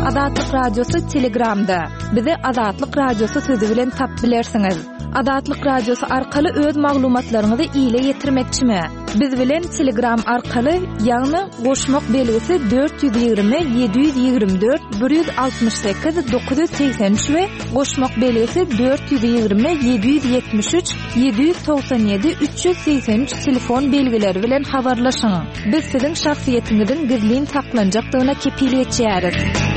Azatlyk Radiosy Telegramda. Bizi Azatlyk Radiosy sözi bilen tap bilersiňiz. Azatlyk Radiosy arkaly öz maglumatlaryňyzy ile ýetirmekçimi? Biz bilen Telegram arkaly, ýagny goşmak belgisi 420 724 168 983 we goşmak belgisi 420 773 797 383 telefon belgileri bilen habarlaşyň. Biz siziň şahsyýetiňiziň gizlin saklanjakdygyna kepil geçýäris.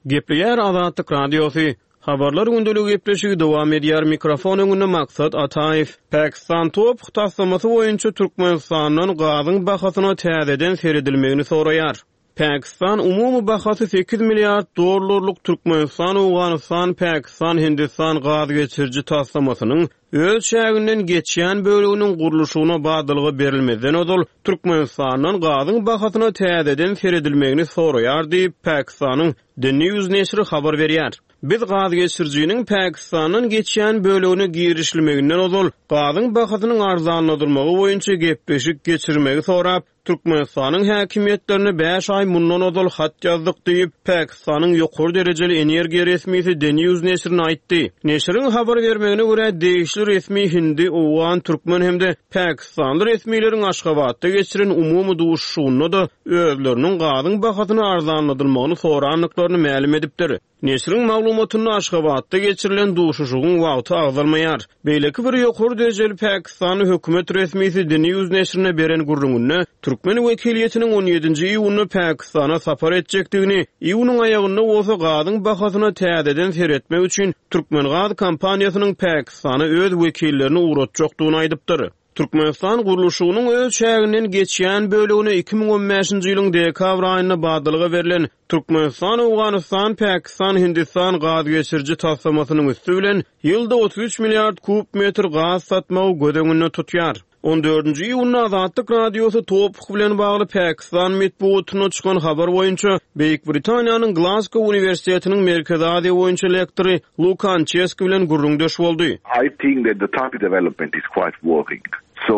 Gepleýär Azatlyk Radiosy. Habarlar gündeligi gepleşigi dowam edýär. Mikrofon öňünde Maksat Ataýew. Pakistan TOPH taslamasy boýunça Türkmenistandan gazyň bahasyna täzeden seredilmegini soraýar. Pakistan umumy bahasy sekiz milliard dollarlyk Türkmenistan-Owganystan-Pakistan-Hindistan gaz geçiriji taslamasynyň öz çäginden geçýän böleginiň gurluşygyna badalga berilmezden ozal Türkmenistandan gazyň bahasyna täzeden seredilmegini soraýar diýip, Pakistanyň The News neşiri habar berýär. Biz gazgeçirijiniň Pakistandan geçýän bölegine girişilmeginden ozal gazyň bahasynyň arzanladylmagy boýunça gepleşik geçirmegi sorap, Türkmenistanyň häkimiýetlerine bäş aý mundan ozal hat ýazdyk diýip, Pakistanyň ýokary derejeli energiýa resmisi The News neşirine aýtdy. Neşiriň habar bermegine görä, degişli resmi hindi, owgan, türkmen hem-de pakistanly resmileriň Aşgabatda geçiren umumy duşuşygynda-da özleriniň gazyň bahasyny arzanladylmagyny sorandyklaryny mälim edipdir. Neşiriň maglumatynda Aşgabatda geçirilen duşuşygyň wagty agzalmaýar. Beýleki bir ýokary derejeli pakistanly hökümet resmisi The News neşirine beren gürrüňinde türkmen wekiliýetiniň on ýedinji iýunda Pakistana sapar etjekdigini, iýunyň aýagynda bolsa gazyň bahasyna täzeden seretmek üçin Türkmengaz kompaniýasynyň Pakistana öz wekillerini ugratjakdygyny aýdypdyr. Türkmenistan gurluşygynyň öz çäginden geçýän bölegine 2015-nji ýylyň dekabr aýynda badalga berlen Türkmenistan-Owganystan-Pakistan-Hindistan gaz geçiriji taslamasynyň üsti bilen ýylda 33 milliard kub metr gaz satmagy göz öňünde tutýar. On dördünji iýunda Azatlyk Radiosy TOPH bilen bagly Pakistan metbugatynda çykan habar boýunça Beýik Britaniýanyň Glazgo uniwersitetiniň Merkezi Aziýa boýunça lektory Luka Ançeski bilen gürrüňdeş boldy. I think that the TAPI development is quite worrying. So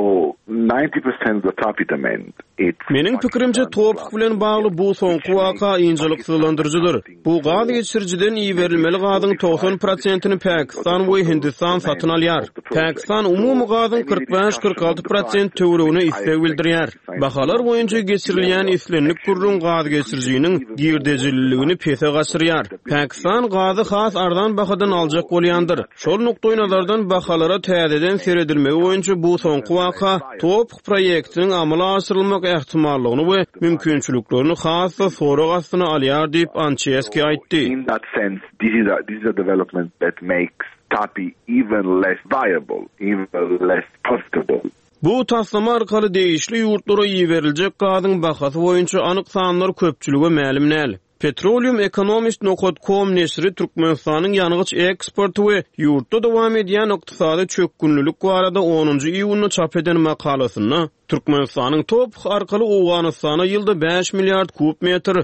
90% of the TAPI demand it's Meniň pikirimçe, TOPH bilen bagly bu soňky waka ynjalyksyzlandyryjydyr. Bu gaz geçirijiden iberilmeli gazyň 90 prosentini Pakistan we Hindistan satyn alýar. Pakistan umumy gazyň 45-46 prosent töweregine isleg bildirýär. Bahalar boýunça geçirilýän islendik gürrüň gaz geçirijiniň girdejililigini pese gaçyrýar. Pakistan gazy has arzan bahadan aljak bolýandyr. Şol nukdaýnazardan bahalara täzeden seredilmegi boýunça bu soňky waka TOPH proýektiniň amala aşyrylmak ähtimallygyny we mümkinçiliklerini has-da sorag astyna alýar diýip, Ançeski aýtdy. Bu taslama arkaly degişli ýurtlara iberiljek gazyň bahasy boýunça anyk sanlar köpçülige mälim däl. Petroleum Economist nokat kom neşiri Türkmenistanyň ýangyç eksporty we ýurtda dowam edýän ykdysady çökgünlilik barada onunjy iýunda çap eden makalasynda Türkmenistanyň TOPH arkaly Owganystana ýylda bäş milliard kub metr,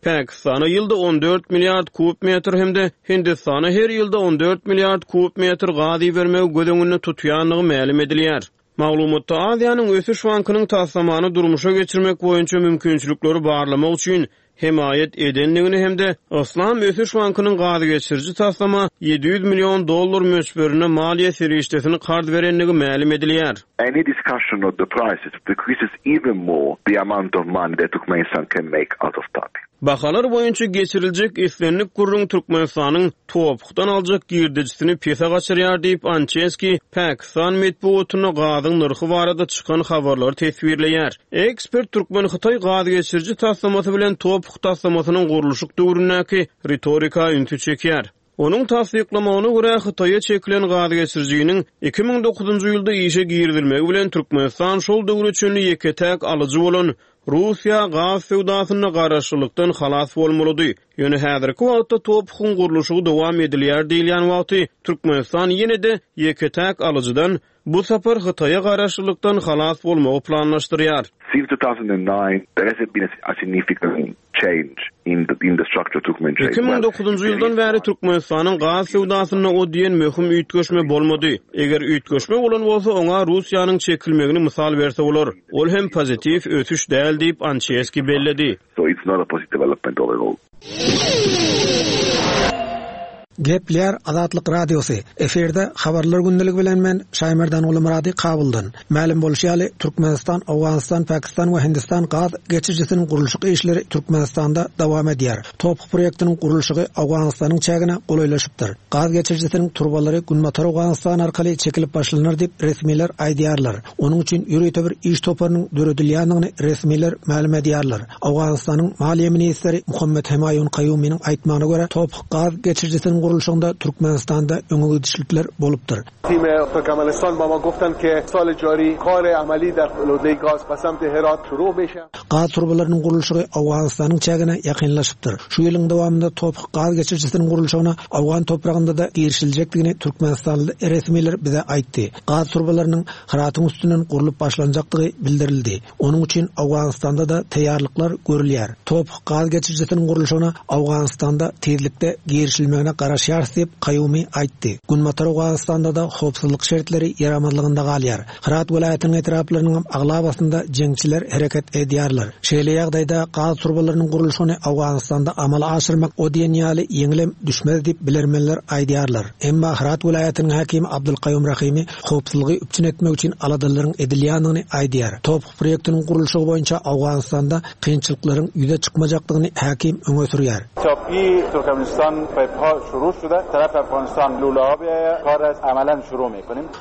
Pakistana ýylda 14 milliard kub metr hem-de Hindistana her ýylda 14 milliard kub metr gaz ibermegi göz öňünde tutýandygy mälim edilýär. Maglumatda Aziýanyň Ösüş bankynyň taslamany durmuşa geçirmek boýunça mümkinçilikleri barlamak üçin hemaýat edendigini hem-de Yslam Ösüş bankynyň gazgeçiriji taslama 700 million dollar möçberinde maliýe serişdesini karz berendigi mälim edilýär. Any discussion of the prices decreases even more the amount of money that Turkmenistan can make out of TAPI. Bahalar boýunça geçiriljek islendik gürrüň Türkmenistanyň TOPH-dan aljak girdejisini pese gaçyrýar diýip, Ançeski Pakistan metbugatynda gazyň nyrhy barada çykan habarlary teswirleýär. Ekspert türkmen-hytaý gaz geçiriji taslamasy bilen TOPH taslamasynyň gurluşyk döwründäki ritorika ünsi çekýär. Onuň tassyklamagyna görä, Hytaýa çekilen gazgeçirijiniň 2009-njy ýylda işe girizilmegi bilen Türkmenistan şol döwre çenli ýeke-täk alyjy bolan Russiýa gaz söwdasynda garaşlylykdan halas bolmalydy. Ýöne häzirki wagtda TOPH-yň gurluşygy dowam edilýär diýilýän wagty Türkmenistan ýene-de ýeke-täk alyjydan. bu sapar Hytaýa garaşlylykdan halas bolmagy planlaşdyrýar. Since 2009, there hasn't been a significant change in the in the structure of Turkmen trade. 2009-njy ýyldan bäri Türkmenistanyň gaz söwdasynda o diýen möhüm üýtgeşme bolmady. Eger üýtgeşme bolan bolsa, oňa Russiýanyň çekilmegini mysal berse bolar. Ol hem pozitiw ösüş däl diýip, Ançeski belledi. So it's not a positive development overall. Gepleýär Azatlyk Radiosy, Efirde Habarlar gündeligi bilen men Şaýmerdan Gulumyrady Kabuldan. Mälim bolşy ýaly, Türkmenistan, Owganystan, Pakistan we Hindistan gaz geçirijisiniň gurluşyk işleri Türkmenistanda dowam edýär. TOPH proýektiniň gurluşygy Owganystanyň çägine golaýlaşypdyr. Gaz geçirijisiniň turbalary Günbatar Owganystan arkaly çekilip başlanar diýip, resmiler aýdýarlar. Onuň üçin ýörite bir iş toparynyň döredilýändigini resmiler mälim edýärler. Owganystanyň maliýe ministri Muhammet Hemaýun Kaýumynyň aýtmagyna görä, TOPH gaz geçirijisiniň gurluşygynda Türkmenistanda öňegidişlikler bolupdyr. Gaz turbalarynyň gurluşygy Owganystanyň çägine ýakynlaşypdyr. Şu ýylyň dowamynda TOPH gaz geçirijisiniň gurluşygyna owgan topragynda-da girişiljekdigini türkmenistanly resmiler bize aýtdy. Gaz turbalarynyň Hyratyň üstünden gurlup başlanjakdygy bildirildi. Onuň üçin Owganystanda-da taýýarlyklar görülýär. TOPH gaz geçirijisiniň gurluşygyna Owganystanda tizlikde girişilmegine garaşýarys diýip, Kaýumi aýtdy. Günbatar Owganystanda-da howpsuzlyk şertleri ýaramazlygynda galýar. Hyrat welaýatynyň etraplarynyňam aglabasynda jeňçiler hereket edýärler. Şeýle ýagdaýda gaz turbalarynyň gurluşygyny Owganystanda amala aşyrmak o diýen ýaly ýeňilem düşmez diýip, bilermenler aýdýarlar. Emma Hyrat welaýatynyň häkimi Abdulkaýum Rahimi howpsuzlygy üpjün etmek üçin aladalaryň edilýändigini aýdýar. TOPH proýektiniň gurluşygy boýunça Owganystanda kynçylyklaryň ýüze çykmajakdygyny häkim öňe sürýär.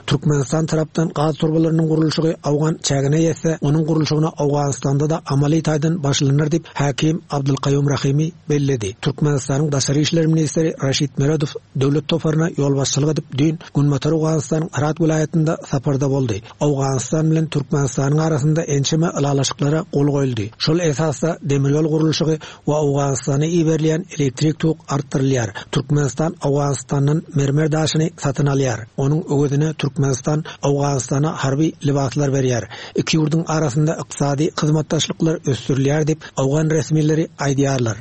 Türkmenistan tarapdan gaz turbalarynyň gurluşygy owgan çägine ýetse, onuň gurluşygyna Owganystanda-da amaly taýdan başlanar diýip, häkim Abdulkaýum Rahimi belledi. Türkmenistanyň daşary işler ministri Raşid Meredow döwlet toparyna ýolbaşçylyk edip, düýn Günbatar Owganystanyň Hyrat welaýatynda saparda boldy. Owganystan bilen Türkmenistanyň arasynda ençeme ylalaşyklara gol goýuldy. Şol esasda demir ýol gurluşygy we Owganystana iberilýän elektrik tok artdyrylýar. Türkmenistan Owganystandan mermer daşyny satyn alýar. Onuň öwezine Türkmenistan Owganystana harby lybaslar berýär. Iki ýurduň arasynda ykdysady hyzmatdaşlyklar ösdürilýär diýip, owgan resmileri aýdýarlar.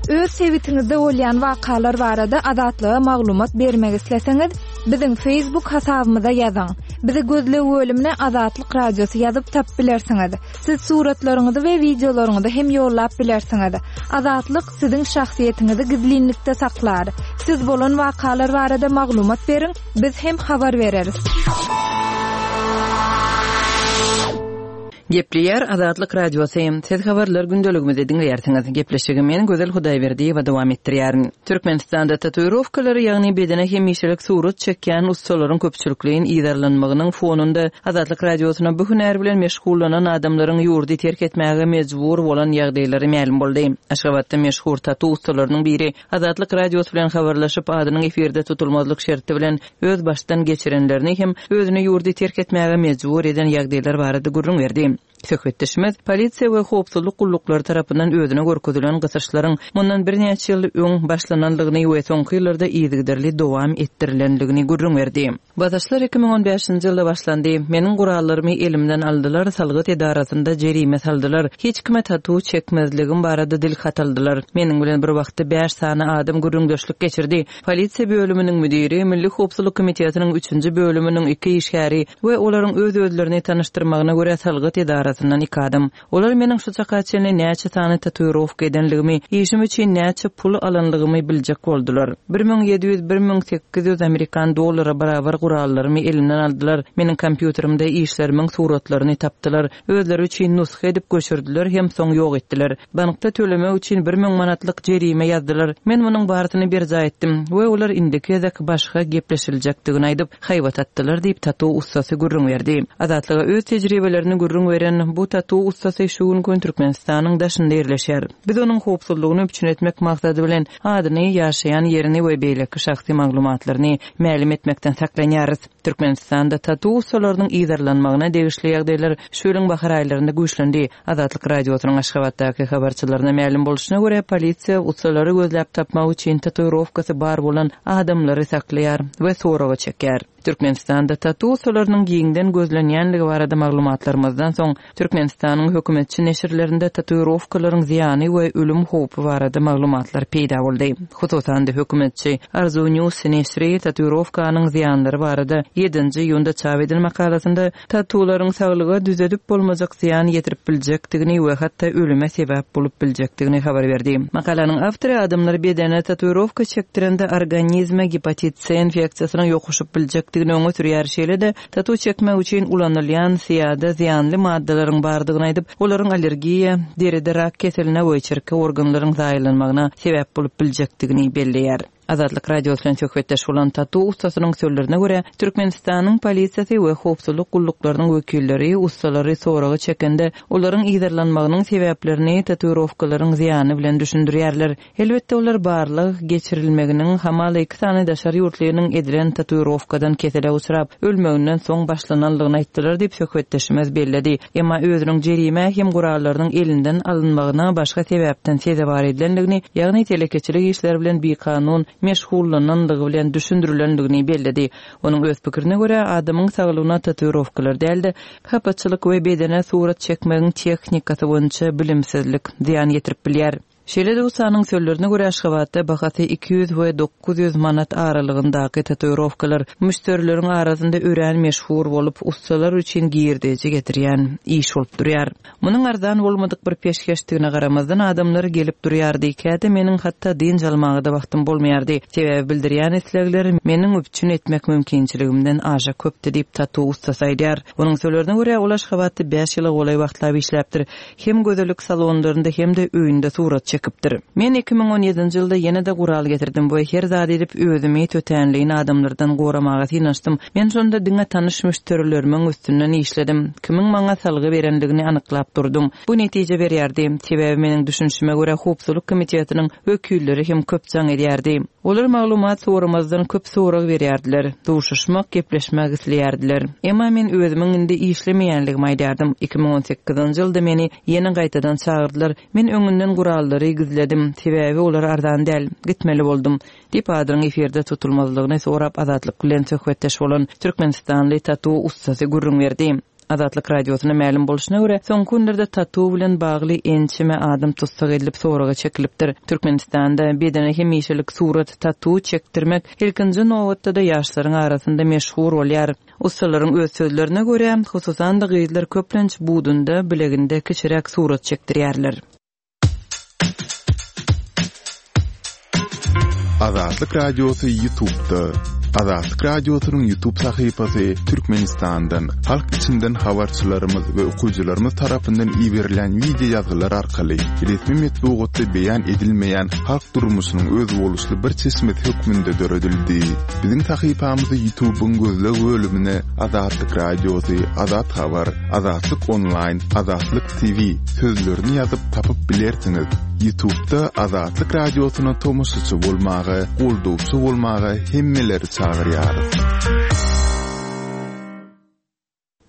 Öz sebitiňizde bolýan wakalar barada Azatlyga maglumat bermek isleseňiz, biziň Facebook hasabymyza ýazyň. Bizi gözleg bölümine Azatlyk Radiosy ýazyp tapyp bilersiňiz. Siz suratlaryňyzy we wideolaryňyzy hem ýollap bilersiňiz. Azatlyk siziň şahsyýetiňizi gizlinlikde saklar. Siz bolan wakalar barada maglumat beriň, biz hem habar bereris. Gepleýär Azatlyk Radiosy. Siz habarlar gündeligimizi diňleýärsiňiz. Gepleşigi men Gözel Hudaýberdiýewa dowam etdirýärin. Türkmenistanda tatuirowkalary, ýagny bedene hemişelik surat çekýän ussalaryň köpçülikleýin yzarlanmagynyň fonunda Azatlyk Radiosyna bu hünär bilen meşgullanan adamlaryň ýurdy terk etmäge mejbur bolan ýagdaýlary mälim boldy. Aşgabatda meşhur tatu ussalarynyň biri Azatlyk Radiosy bilen habarlaşyp, adynyň efirde tutulmazlyk şerti bilen öz başdan geçirenlerini hem özüni ýurdy terk etmäge mejbur eden ýagdaýlar barada gürrüň berdi. Söhbetdeşimiz polisiýa we howpsuzlyk gulluklary tarapyndan özüne görkezilen gysyşlaryň mundan birnäçe ýyl öň başlanandygyny we soňky ýyllarda yzygiderli dowam etdirilendigini gürrüň berdi. Basyşlar 2015-nji ýylda başlandy. Meniň gurallarymy elimden aldylar, salgyt edarasynda jerime saldylar, hiç kime tatu çekmezligim barada dil hat aldylar. Meniň bilen bir wagtda bäş sany adam gürrüňdeşlik geçirdi. Polisiýa bölüminiň müdiri, Milli howpsuzlyk komitetiniň üçünji bölüminiň iki işgäri we olaryň öz-özlerini tanyşdyrmagyna görä salgyt edarasyndan iki adam. Olar meniň şu çaka çenli näçe sany tatuirowka edenligimi, işim üçin näçe pul alanlygymy biljek boldular. 1700, 1800 amerikan dollara barabar gurallarymy elimden aldylar, meniň kompýuterimde işlerimiň suratlaryny tapdylar, özleri üçin nusga edip göçürdiler hem soň ýok etdiler. Bankda tölemek üçin 1000 manatlyk jerime ýazdylar. Men munuň barysyny berjaý etdim we olar indiki gezek başga gepleşiljekdigini aýdyp, haýbat atdylar diýip, tatu ussasy gürrüň berdi. Azatlyga öz tejribelerini gürrüň berýän. beren bu tatu ussasy şu gün Türkmenistanyň daşynda ýerleşýär. Biz onuň howpsuzlygyny üpjün etmek maksady bilen adyny, ýaşaýan ýerini we beýleki şahsy maglumatlaryny mälim etmekden saklanýarys. Türkmenistanda tatu ussalarynyň yzarlanmagyna degişli ýagdaýlar şu ýylyň bahar aýlarynda güýçlendi. Azatlyk Radiosynyň Aşgabatdaky habarçylaryna mälim bolşuna görä, polisiýa ussalary gözläp tapmak üçin tatuirowkasy bar bolan adamlary saklaýar we soraga çekýär. Türkmenistanda tatu ussalarynyň giňden gözlenýänligi barada maglumatlarymyzdan soň, Türkmenistanyň hökümetçi neşirlerinde tatuirowkalaryň zyýany we ölüm howpy barada maglumatlar peýda boldy. Hususan-da, hökümetçi Arzuw News neşiri tatuirowkanyň zyýanlary barada ýedinji iýunda çap eden makalasynda Tatularyň saglyga düzedip bolmajak zyýan ýetirip biljekdigini we hatda ölüme sebäp bolup biljekdigini habar berdi. Makalanyň awtory adamlar bedene tatuirowka çekdirende organizme gepatit C infeksiýasynyň ýokuşyp biljekdigini öňe sürýär, şeýle-de tatu çekmek üçin ulanylýan syýada zyýanly maddalaryň bardygyny aýdyp, olaryň allergiýa, deride rak keseline we içerki organlaryň zaýalanmagyna sebäp bolup biljekdigini belleýär. Azatlyk Radiosy bilen söhbetdeş bolan tatu ussasynyň sözlerine görä, Türkmenistanyň polisiýasy we howpsuzlyk gulluklarynyň wekilleri ussalary soraga çekende, olaryň yzarlanmagynyň sebäplerini tatuirowkalaryň zyýany bilen düşündirýärler. Elbetde, olar barlag geçirilmeginiň hamala iki sany daşary ýurtlynyň edilen tatuirowkadan kesele uçrap, ölmeginden soň başlananlygyny aýtdylar diýip, söhbetdeşimiz belledi. Emma özüniň jerimä hem gurallarynyň elinden alynmagyna başga sebäpden sezewar edilendigini, ýagny telekeçilik işleri bilen bikanun meşgullanandygy bilen düşündirilendigini belledi. Onuň öz pikirine görä, adamyň saglygyna tatuirowkalar däl-de, hapaçylyk we bedene surat çekmegiň tehnikasy boýunça bilimsizlik zyýan ýetirip bilýär. Şeýle-de ussanyň sözlerine görä, Aşgabatda bahasy 200 we 900 manat aralygyndaky tatuirowkalar müşderileriň arasynda örän meşhur bolup, ussalar üçin girdeji getirýän iş bolup durýar. Munuň arzan bolmadyk bir peşgeşdigine garamazdan, adamlar gelip durýardy, käte meniň hatda dynç almaga-da wagtym bolmaýardy, sebäbi bildirýän islegler meniň üpjün etmek mümkinçiligimden aşa köpdi diýip, tatu ussasy aýdýar. Onuň sözlerine görä, ol Aşgabatda bäş ýyla golaý wagtlap işläpdir. Hem gözellik salonlarynda hem-de öýünde surat çekipdir. Men 2017-nji ýylda ýene-de gural getirdim we her zat edip özümi tötänleýin adamlardan goramaga synanyşdym. Men şonda diňe tanyş müşderilerimiň üstünden işledim. Kimiň maňa salgy berendigini anyklap durdum. Bu netije berýärdi. Sebäbi meniň düşünişime görä howpsuzlyk komitetiniň wekilleri hem köp jaň edýärdi. Olar maglumat soramazdan köp sorag berýärdiler, duşuşmak, gepleşmek isleýärdiler. Emma men özümiň indi işlemeýänligimi aýdýardym. 2018-nji ýylda meni ýene gaýtadan çagyrdylar. Men öňünden gurallary gizledim, sebäbi olar arzan däl. Gitmeli boldum, diýip, adynyň efirde tutulmazlygyny sorap Azatlyk bilen söhbetdeş bolan türkmenistanly tatu ussasy gürrüň berdi. Azatlyk Radiosyna mälim bolşuna görä, soňky günlerde tatu bilen bagly ençeme adam tussag edilip soraga çekilipdir. Türkmenistanda bedene hemişelik surat, tatu, çekdirmek ilkinji nobatda-da ýaşlaryň arasynda meşhur bolýar. Ussalaryň öz sözlerine görä, hususan-da gyzlar köplenç budunda, bileginde kiçiräk surat çekdirýärler. Azatlyk Radiosy YouTube'da. Azatlyk Radiosynyň YouTube sahypasy Türkmenistandan, halk içinden habarçylarymyz we okyjylarymyz tarapyndan iberilen wideo ýazgylar arkaly resmi metbugatda beýan edilmeýän halk durmuşynyň özboluşly bir çeşmesi hökmünde döredildi. Biziň sahypamyzy YouTube'yň gözleg bölümine Azatlyk Radiosy, Azat Habar, Azatlyk Onlaýn, Azatlyk TV sözlerini ýazyp tapyp bilersiňiz. Ýutubda Azatlyk Radiosyna tomaşaçy bolmaga, goldawçy bolmaga hemmeleri çagyrýarys.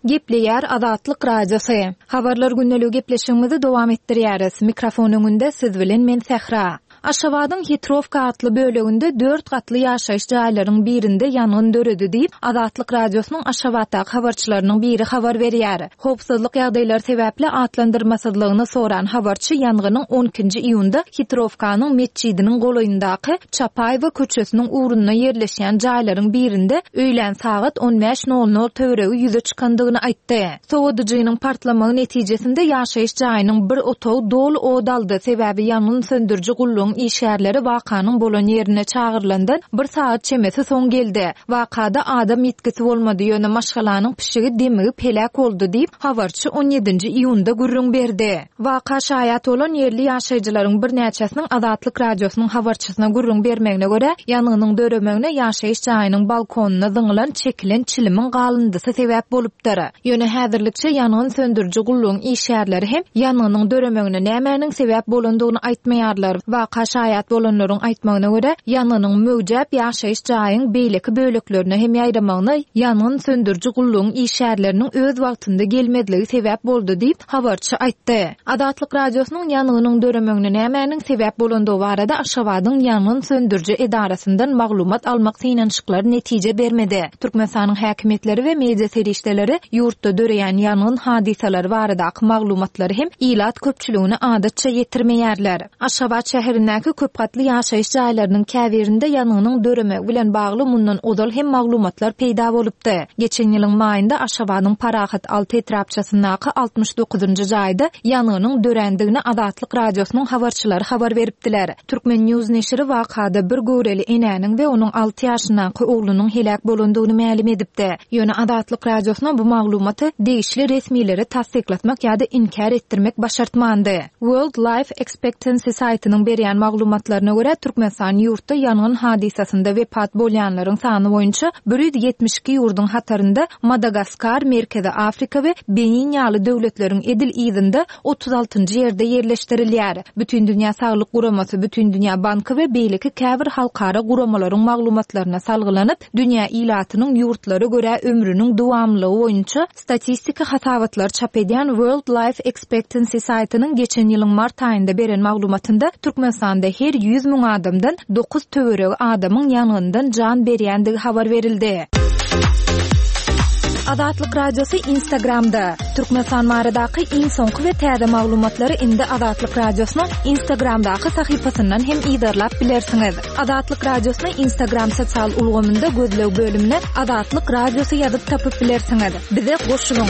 Gepleýär Azatlyk Radiosy. Habarlar gündeligi gepleşigimizi dowam etdirýäris. Mikrofon öňünde siz bilen men Sähra. Aşgabadyň Hitrowka atly böleginde dört gatly ýaşaýyş jaýlaryň birinde ýangyn döredi diýip, Azatlyk Radiosynyň Aşgabatdaky habarçylarynyň biri habar berýär. Howpsuzlyk ýagdaýlary sebäpli atlandyrmasyzlygyny soran habarçy ýangynyň on ikinji iýunda Hitrowkanyň metjidiniň golaýyndaky Çapaýewa köçesiniň ugrunda ýerleşýän jaýlaryň birinde öýlän sagat on bäş nol nol töweregi ýüze çykandygyny aýtdy. Sowadyjynyň partlamagy netijesinde ýaşaýyş jaýynyň bir otagy doly ot aldy, sebäbi ýangyn söndüriji gullugyň. gullugyň işgärleri wakanyň bolan ýerine çagyrylandan bir sagat çemesi soň geldi. Wakada adam ýitgisi bolmady, ýöne maşgalanyň pişigi demigip heläk boldy diýip, habarçy on ýedinji iýunda gürrüň berdi. Waka şaýat bolan ýerli ýaşaýjylaryň birnäçesiniň Azatlyk Radiosynyň habarçysyna gürrüň bermegine görä, ýangynyň döremegine ýaşaýyş jaýynyň balkonyna zyňylan çekilen çilimiň galyndysy sebäp bolupdyr. Ýöne häzirlikçe ýangyn söndüriji gullugyň işgärleri hem ýangynyň döremegine nämäniň sebäp bolandygyny aýtmaýarlar. Waka şaýat bolanlaryň aýtmagyna görä, ýangynyň möwjäp ýaşaýyş jaýyň beýleki böleklerine hem ýaýramagyna ýangyn söndüriji gullugyň işgärleriniň öz wagtynda gelmezligi sebäp boldy diýip, habarçy aýtdy. Azatlyk Radiosynyň ýangynyň döremegine nämäniň sebäp bolandygy barada Aşgabadyň ýangyn söndüriji edarasyndan maglumat almak synanyşyklary netije bermedi. Türkmenistanyň häkimiýetleri we media serişdeleri ýurtda döreýän ýangyn hadysalary baradaky maglumatlary hem ilat köpçüligine adatça ýetirmeýärler. Aşgabat şäherindäki köp gatly ýaşaýyş jaýlarynyň käbirinde ýangynyň döremegi bilen bagly mundan ozal hem maglumatlar peýda bolupdy. Geçen ýylyň maýynda Aşgabadyň Parahat alty etrapçasyndaky 69-njy jaýda ýangynyň dörändigini Azatlyk Radiosynyň habarçylary habar beripdiler. Turkmen. News neşiri wakada bir göwreli enäniň we onuň alty ýaşyndaky oglunyň heläk bolandygyny mälim edipdi. Ýöne Azatlyk Radiosyna bu maglumaty degişli resmilere tassyklatmak ýa-da inkär etdirmek başartmandy. World Life Expectancy saýtynyň berýän maglumatlaryna görä, Türkmenistan ýurtda ýangyn hadysasynda wepat bolýanlaryň sany boýunça 172 ýurduň hatarynda Madagaskar, Merkezi Afrika we Benin ýaly döwletleriň edil yzynda 36-njy ýerde ýerleşdirilýär. Bütindünýä Saglyk Guramasy, Bütindünýä Banky we beýleki käbir halkara guramalaryň maglumatlaryna salgylanyp, dünýä ilatynyň ýurtlara görä ömrüniň dowamlylygy boýunça Statistiki hasabatlary çap edýän World Life Expectancy saýtynyň geçen ýylyň mart aýynda beren maglumatynda Türkmenistanda her 100 müň adamdan dokuz töweregi adamyň ýangyndan jan berýändigi habar berildi. Azatlyk Radiosy Instagramda, Türkmenistan baradaky iň soňky we täze maglumatlary indi Azatlyk Radiosynyň Instagramdaky sahypasyndan hem yzarlap bilersiňiz. Azatlyk Radiosyny Instagram sosial ulgamynda gözleg bölümine Azatlyk Radiosy ýazyp tapyp bilersiňiz. Bize goşulyň!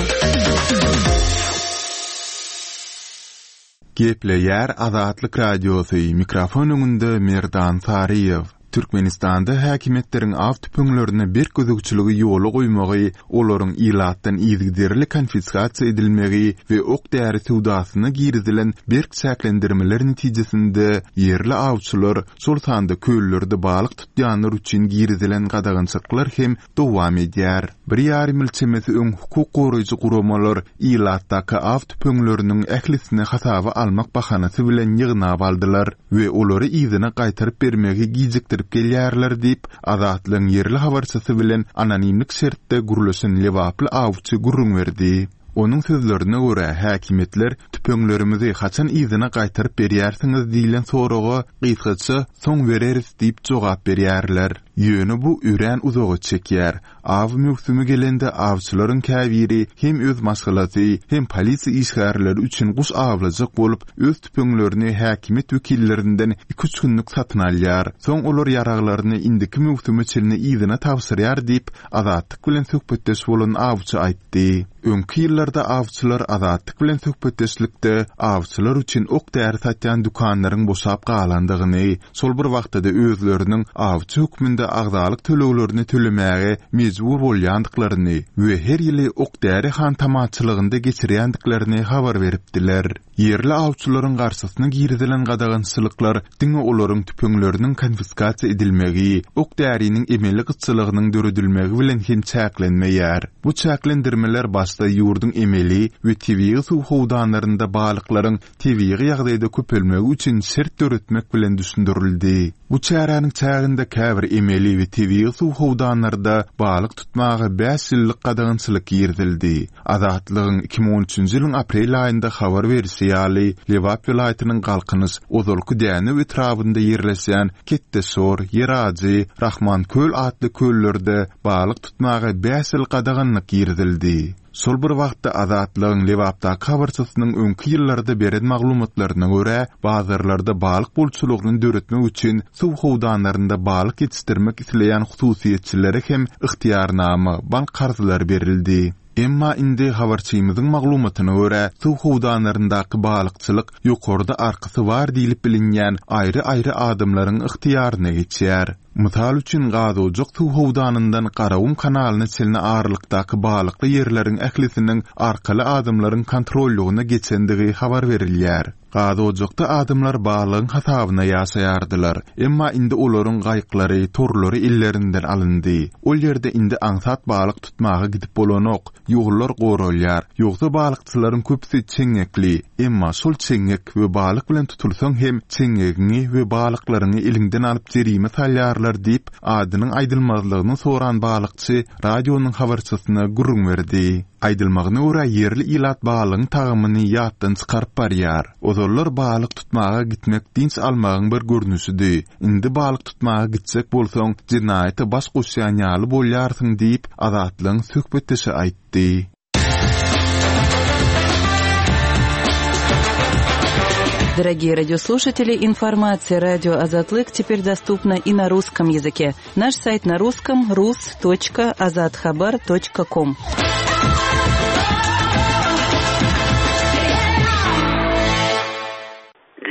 Gepleýär Azatlyk Radiosy, mikrofon öňünde Merdan Saryýew. Türkmenistanda häkimiýetleriň aw tüpeňlerine berk gözegçiligi ýola goýmagy, olaryň ilatdan yzygiderli konfiskasiýa edilmegi we ok-däri söwdasyna girizilen berk çäklendirmeler netijesinde ýerli awçylar, şol sanda köllerde balyk tutýanlar üçin girizilen gadagançylyklar hem dowam edýär. Bir ýarym ýyl çemesi öň hukuk goraýjy guramalar ilatdaky aw tüpeňleriniň ählisini hasaba almak bahanasy bilen ýygnap aldylar we olary yzyna gaýtaryp bermegi gijikdirip gelýärler diýip, Azatlygyň ýerli habarçysy bilen anonimlik şertde gürleşen lebaply awçy gürrüň berdi. Onuň sözlerine görä, häkimiýetler tüpeňlerimizi haçan yzyna gaýtaryp berýärsiňiz diýlen soraga gysgaça soň bereris diýip jogap berýärler. Ýöne bu örän uzaga çekýär. Aw möwsümi gelende awçylaryň käbiri hem öz maşgalasy, hem polisiýa işgärleri üçin guş awlajak bolup, öz tüpeňlerini häkimiýet wekillerinden iki-üç günlük satyn alýar. Soň olar ýaraglaryny indiki möwsüme çenli yzyna tabşyrýar diýip, Azatlyk bilen söhbetdeş bolan awçy aýtdy. Öňki ýyllarda awçylar Azatlyk bilen söhbetdeşlikde awçylar üçin ok-däri satýan dükanlaryň boşap galandygyny, şol bir wagtda-da özleriniň awçy hökmünde agzalyk töleglerini tölemäge mejbur bolýandyklaryny we her ýyly ok-däri hantamaçylygynda geçirýändiklerini habar beripdiler. Ýerli awçylaryň garşysyna girizilen gadagançylyklar diňe olaryň tüpeňleriniň konfiskasiýa edilmegi, ok-däriniň emeli gytçylygynyň döredilmegi bilen hem çäklenmeýär. Bu çäklendirmeler başda ýurduň emeli we tebigy suw howdanlarynda balyklaryň tebigy ýagdaýda köpelmegi üçin şert döretmek bilen düşündirildi. Bu çäräniň çäginde käbir emeli we tebigy suw howdanlarda balyk tutmaga bäş ýyllyk gadagançylyk girizildi. Azatlygyň 2013-nji ýylyň aprel aýynda habar berişi ýaly, Lebap welaýatynyň Galkynyş, ozalky Dänew etrabynda ýerleşýän Ketdeşor, Ýerajy, Rahmanköl atly köllerde balyk tutmaga bäş ýyl gadaganlyk girizildi. Şol bir wagtda, Azatlygyň Lebapdaky habarçysynyň öňki ýyllarda beren maglumatlaryna görä, bazarlarda balyk bolçulygyny döretmek üçin suw howdanlarynda balyk ýetişdirmek isleýän hususyýetçilere hem ygtyýarnama, bank karzlary berildi. Emma indi habarçymyzyň maglumatyna görä, suw howdanlaryndaky balykçylyk ýokarda arkasy bar diýlip bilinýän aýry-aýry adamlaryň ygtyýaryna geçýär. Mysal üçin, Gazojak suw howdanyndan Garagum kanalyna çenli aralykdaky balykly ýerleriň ählisiniň arkaly adamlaryň kontrollygyna geçendigi habar berilýär. Gazojakda adamlar balygyň hasabyna ýaşaýardylar. Emma indi olaryň gaýyklary, torlary ellerinden alyndy. Ol ýerde indi aňsat balyk tutmaga gidip bolanok, ýollar goralýar. Ýogsa balykçylaryň köpüsi çeňňekli. Emma şol çeňňek we balyk bilen tutulsaň hem çeňňegiňi we balyklaryňy eliňden alyp jerime salýarlar diýip, adynyň aýdylmazlygyny soran balykçy radionyň habarçysyna gürrüň berdi. Aýdylmagyna görä, ýerli ilat balygyň tagamyny ýatdan çykaryp barýar. Ozallar balyk tutmaga gitmek dynç almagyň bir görnüşidi. Indi balyk tutmaga gitjek bolsaň, jenaýata baş goşýan ýaly bolýarsyň diýip, Azatlygyň söhbetdeşi aýtdy. Дорогие радиослушатели, информация радио Азатлык теперь доступна и на русском языке. Наш сайт на русском rus.azathabar.com.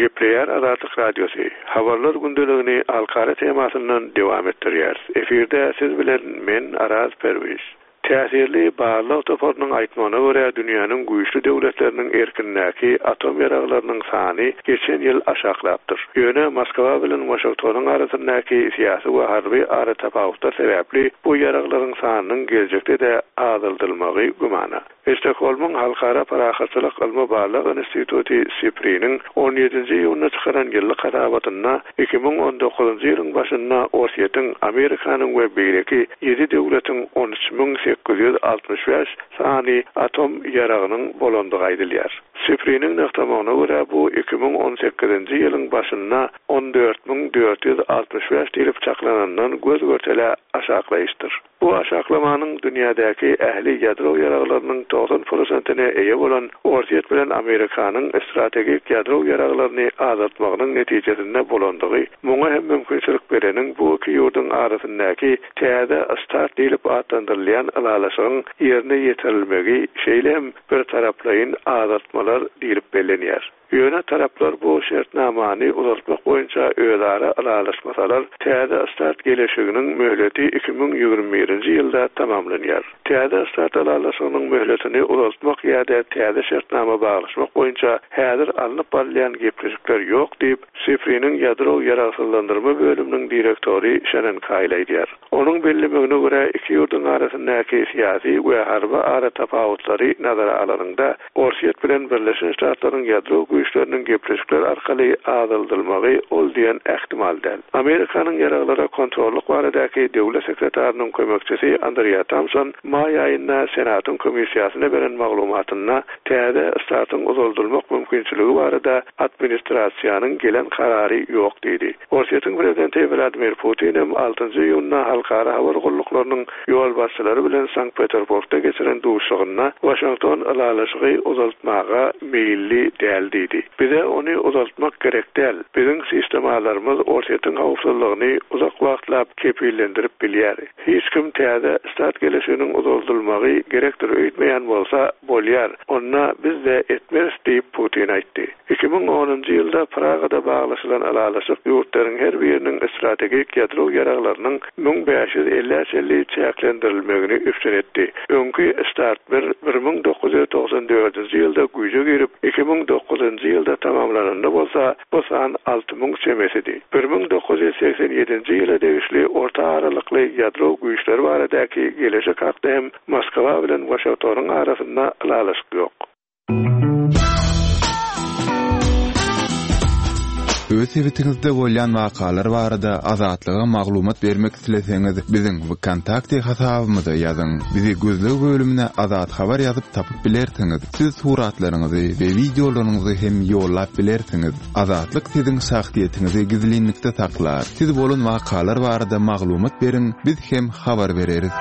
Gepleýär Azatlyk Radiosy, Habarlar gündeligini halkara temasyndan dowam etdirýäris. Efirde siz bilen men Araz Perwiz. Täsirli barlag toparynyň aýtmagyna görä, dünýäniň güýçli döwletleriniň erkindäki atom ýaraglarynyň sany geçen ýyl aşaklapdyr. Ýöne Moskwa bilen Waşingtonyň arasyndaky syýasy we harby aratapawutlar sebäpli bu ýaraglaryň sanynyň geljekde-de azaldylmagy gümana. Stokgolmyň Halkara parahatçylyk ylmy-barlag instituty SIPRI-niň on ýedinji iýunda çykaran ýyllyk hasabatynda 2019-njy ýylyň başynda Orsýetiň, Amerikanyň we beýleki ýedi döwletiň 13 865 sany atom ýaragynyň bolandygy aýdylýar. SIPRI-niň nygtamagyna görä, bu 2018-nji ýylyň başynda 14 465 diýlip çaklanandan göz-görtele aşaklaýyşdyr. Bu aşaklamanyň dünýädäki ähli ýadro ýaraglarynyň 90 prosentine eýe bolan Orsýet bilen Amerikanyň strategik ýadro ýaraglaryny azaltmagynyň netijesinde bolandygy, muňa hem mümkinçilik bereniň bu iki ýurduň arasyndaky Täze start diýlip atlandyrylýan ylalaşygyň ýerine ýetirilmegi, şeýle hem birtaraplaýyn azaltmalar diýlip bellenýär. Ýöne taraplar bu şertnamany uzaltmak boýunça özara ylalaşmasalar, Täze start geleşiginiň möhleti 2021-nji ýylda tamamlanýar. Täze start ylalaşygynyň möhletini uzaltmak ýa-da täze şertnama baglaşmak boýunça häzir alnyp barylýan gepleşikler ýok diýip, SIPRI-niň ýadro ýaragsyzlandyrma bölüminiň direktory Şennen Kaýl aýdýar. Onuň bellemegine görä, iki ýurduň arasyndaky syýasy we harby aratapawutlary nazara alanyňda, Orsýet bilen Birleşen Ştatlaryň ýadro güýçleriniň gepleşikler arkaly azaldylmagy ol diýen ähtimal däl. Amerikanyň ýaraglara kontrollyk baradaky döwlet sekretarynyň kömekçisi Andrea Tamson maý aýynda Senatyň komissiýasyna beren maglumatynda täze START-yň uzaldylmak mümkinçiligi barada administrasiýanyň gelen karary ýok diýdi. Orsýetiň prezidenti Wladimir Putin hem altynjy iýunda halkara habar gulluklarynyň ýolbaşçylary bilen Sankt-Peterburgda geçiren duşuşygynda Waşington ylalaşygy uzaltmaga meýilli däl diýdi. Bize ony uzaltmak gerek däl. Biziň sistemalarymyz Orsýetiň howpsuzlygyny uzak wagtlap kepillendirip bilýär. Hiç kim täze START geleşiginiň uzaldylmagy gerekdir öýtmeýän bolsa, bolýar, onda biz-de etmeris diýip, Putin aýtdy. 2010-njy ýylda Pragada baglaşylan ylalaşyk ýurtlaryň her biriniň strategik ýadro ýaraglarynyň 1550-ä çenli çäklendirilmegini üpjün etdi. Öňki START bir 1994-nji ýylda güýje girip, 2009-njy ýylda tamamlananda bolsa, bu san 6000 çemesidi. 1987-nji ýyla degişli orta aralykly ýadro güýçleri baradaky geleşik hakda hem Moskwa bilen Waşingtonyň arasynda ylalaşyk ýok. Öz sebitiňizde bolýan wakalar barada Azatlyga maglumat bermek isleseňiz, biziň WKontakte hasabymyza ýazyň. Bizi gözleg bölümine Azat Habar ýazyp tapyp bilersiňiz. Siz suratlaryňyzy we wideolaryňyzy hem ýollap bilersiňiz. Azatlyk siziň şahsyýetiňizi gizlinlikde saklar. Siz bolan wakalar barada maglumat beriň, biz hem habar bereris.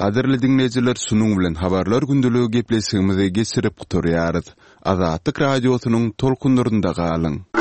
Gadyrly diňleýjiler şunuň bilen Habarlar gündeligi gepleşigimizi geçirip gutarýarys. Azatlyk Radiosynyň tolkunlarynda galyň!